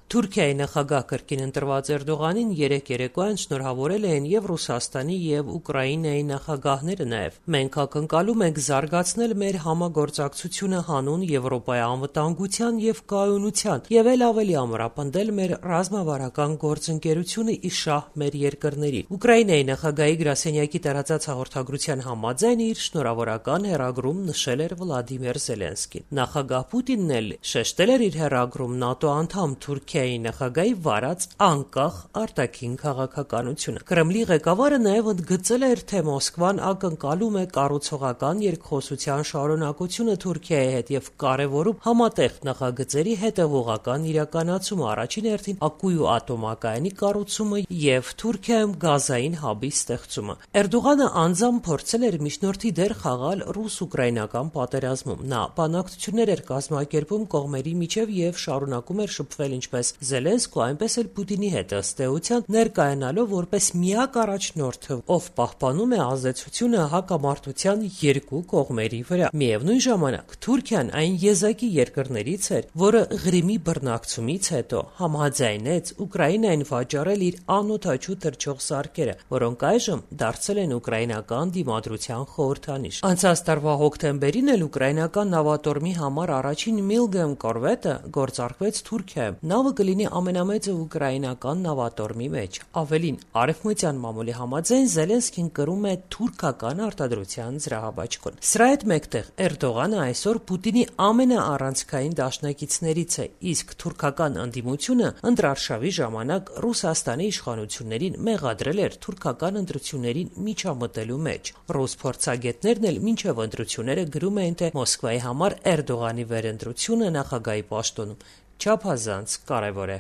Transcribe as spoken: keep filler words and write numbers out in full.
Թուրքիայի նախագահ կրկին ընտրված Էրդողանին երեկ երեկոյան շնորհավորել էին և Ռուսաստանի և Ուկրաինայի նախագահները նաև։ «Մենք ակնկալում ենք զարգացնել մեր համագործակցությունը հանուն Եվրոպայի անվտանգության և կայունության և էլ ավելի ամրապնդել մեր ռազմավարական գործընկերությունը ի շահ մեր երկրների», Ուկրաինայի նախագահի գրասենյակի տարածած հաղորդագրության համաձայն իր շնորհավորական հեռագրում նշել էր Վլադիմիր Զելենսկին։ Նախագահ Պուտինն էլ շեշտել էր իր հեռագրում ՆԱՏՕ անդամ Թուրքիայի նախագահի վարած անկախ արտաքին քաղաքականությունը։ Կրեմլի ղեկավարը նաև ընդգծել էր, թե Մոսկվան ակնկալում է կառուցողական երկխոսության շարունակությունը Թուրքիայի հետ և կարևորում համատեղ նախագծերի հետևողական իրականացումը, առաջին հերթին Ակույու ատոմակայանի կառուցումը և Թուրքիայում գազային հաբի ստեղծումը։ Էրդողանը անձամբ փորձել էր միջնորդի դեր խաղալ ռուս-ուկրաինական պատերազմում։ Նա բանակցություններ էր կազմակերպում կողմերի միջև և շարունակում էր շփվել ինչպես Զելենսկու, այնպես էլ Պուտինի հետ, ըստ էության ներկայանալով որպես միակ առաջնորդը, ով պահպանում է ազդեցությունը հակամարտության երկու կողմերի վրա։ Միևնույն ժամանակ Թուրքիան այն եզակի երկրներից էր, որը Ղրիմի բռնակցումից հետո համաձայնեց Ուկրաինային վաճառել իր անօդաչու թռչող սարքերը, որոնք այժմ դարձել են ուկրաինական դիմադրության խորհրդանիշ։ Անցած տարվա հոկտեմբերին էլ ուկրաինական նավատորմի համար առաջին Միլգեմ կորվետը գործարկվեց Թուրքիայում։ Նավը կլինի ամենամեծը ուկրաինական նավատորմի մեջ։ Ավելին, արևմտյան մամուլի համաձայն Զելենսկին կրում է թուրքական արտադրության զրահաբաճկոն։ Սրա հետ մեկտեղ Էրդողանը այսօր Պուտինի ամենաառանցքային դաշնակիցներից է, իսկ թուրքական ընդդիմությունը ընտրարշավի ժամանակ Ռուսաստանի իշխանություններին մեղադրել էր թուրքական ընտրություններին միջամտելու մեջ։ Ռուս փորձագետներն էլ մինչև ընտրությունները գրում էին, թե Մոսկվայի համար Էրդողանի վերընտրությունը նախագահի պաշտոնում չափազանց կարևոր է։